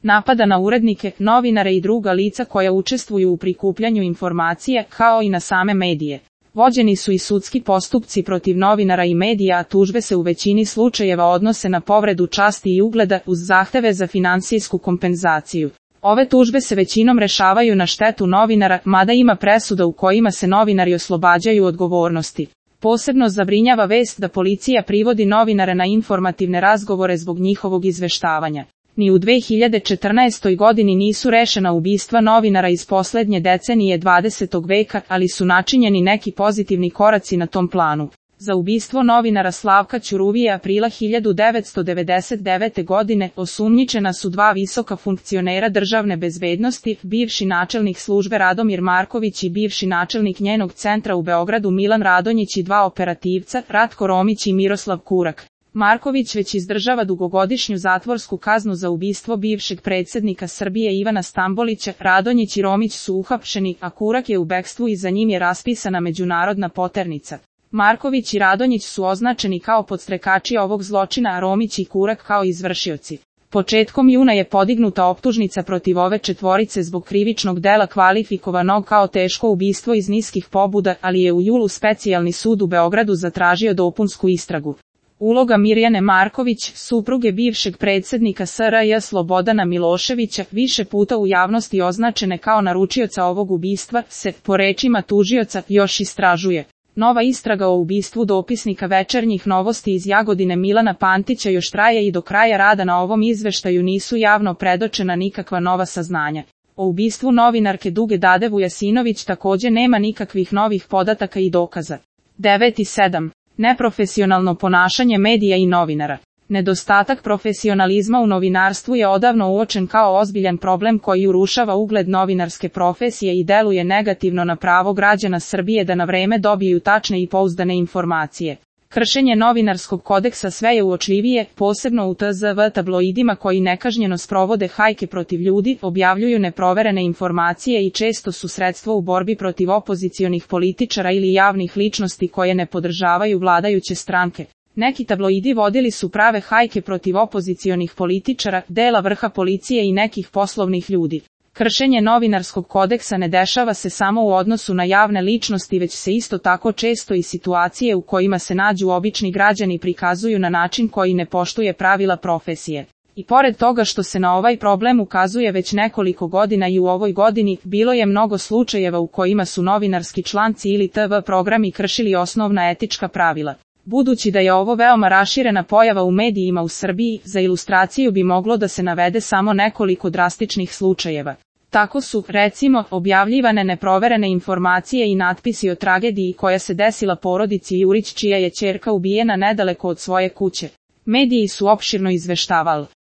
napada na urednike, novinare i druga lica koja učestvuju u prikupljanju informacija, kao i na same medije. Vođeni su i sudski postupci protiv novinara i medija, a tužbe se u većini slučajeva odnose na povredu časti i ugleda uz zahteve za finansijsku kompenzaciju. Ove tužbe se većinom rešavaju na štetu novinara, mada ima presuda u kojima se novinari oslobađaju odgovornosti. Posebno zabrinjava vest da policija privodi novinare na informativne razgovore zbog njihovog izveštavanja. Ni u 2014. godini nisu rešena ubistva novinara iz poslednje decenije 20. veka, ali su načinjeni neki pozitivni koraci na tom planu. Za ubistvo novinara Slavka Ćuruvije aprila 1999. godine osumnjičena su dva visoka funkcionera državne bezbednosti, bivši načelnik službe Radomir Marković i bivši načelnik njenog centra u Beogradu Milan Radonjić i dva operativca, Ratko Romić i Miroslav Kurak. Marković već izdržava dugogodišnju zatvorsku kaznu za ubistvo bivšeg predsjednika Srbije Ivana Stambolića, Radonjić i Romić su uhapšeni, a Kurak je u bekstvu i za njim je raspisana međunarodna poternica. Marković i Radonjić su označeni kao podstrekači ovog zločina, a Romić i Kurak kao izvršioci. Početkom juna je podignuta optužnica protiv ove četvorice zbog krivičnog dela kvalifikovanog kao teško ubistvo iz niskih pobuda, ali je u julu Specijalni sud u Beogradu zatražio dopunsku istragu. Uloga Mirjane Marković, supruge bivšeg predsjednika SRJ Slobodana Miloševića, više puta u javnosti označene kao naručioca ovog ubistva, se, po rečima tužioca, još istražuje. Nova istraga o ubistvu dopisnika Večernjih novosti iz Jagodine Milana Pantića još traje i do kraja rada na ovom izveštaju nisu javno predočena nikakva nova saznanja. O ubistvu novinarke Duge Dade Vujasinović također nema nikakvih novih podataka i dokaza. 9.7. Neprofesionalno ponašanje medija i novinara. Nedostatak profesionalizma u novinarstvu je odavno uočen kao ozbiljan problem koji urušava ugled novinarske profesije i deluje negativno na pravo građana Srbije da na vreme dobiju tačne i pouzdane informacije. Kršenje novinarskog kodeksa sve je uočljivije, posebno u TZV tabloidima koji nekažnjeno sprovode hajke protiv ljudi, objavljuju neproverene informacije i često su sredstvo u borbi protiv opozicionih političara ili javnih ličnosti koje ne podržavaju vladajuće stranke. Neki tabloidi vodili su prave hajke protiv opozicionih političara, dela vrha policije i nekih poslovnih ljudi. Kršenje novinarskog kodeksa ne dešava se samo u odnosu na javne ličnosti, već se isto tako često i situacije u kojima se nađu obični građani prikazuju na način koji ne poštuje pravila profesije. I pored toga što se na ovaj problem ukazuje već nekoliko godina i u ovoj godini, bilo je mnogo slučajeva u kojima su novinarski članci ili TV programi kršili osnovna etička pravila. Budući da je ovo veoma raširena pojava u medijima u Srbiji, za ilustraciju bi moglo da se navede samo nekoliko drastičnih slučajeva. Tako su, recimo, objavljivane neproverene informacije i natpisi o tragediji koja se desila porodici Jurić čija je ćerka ubijena nedaleko od svoje kuće. Mediji su opširno izveštavali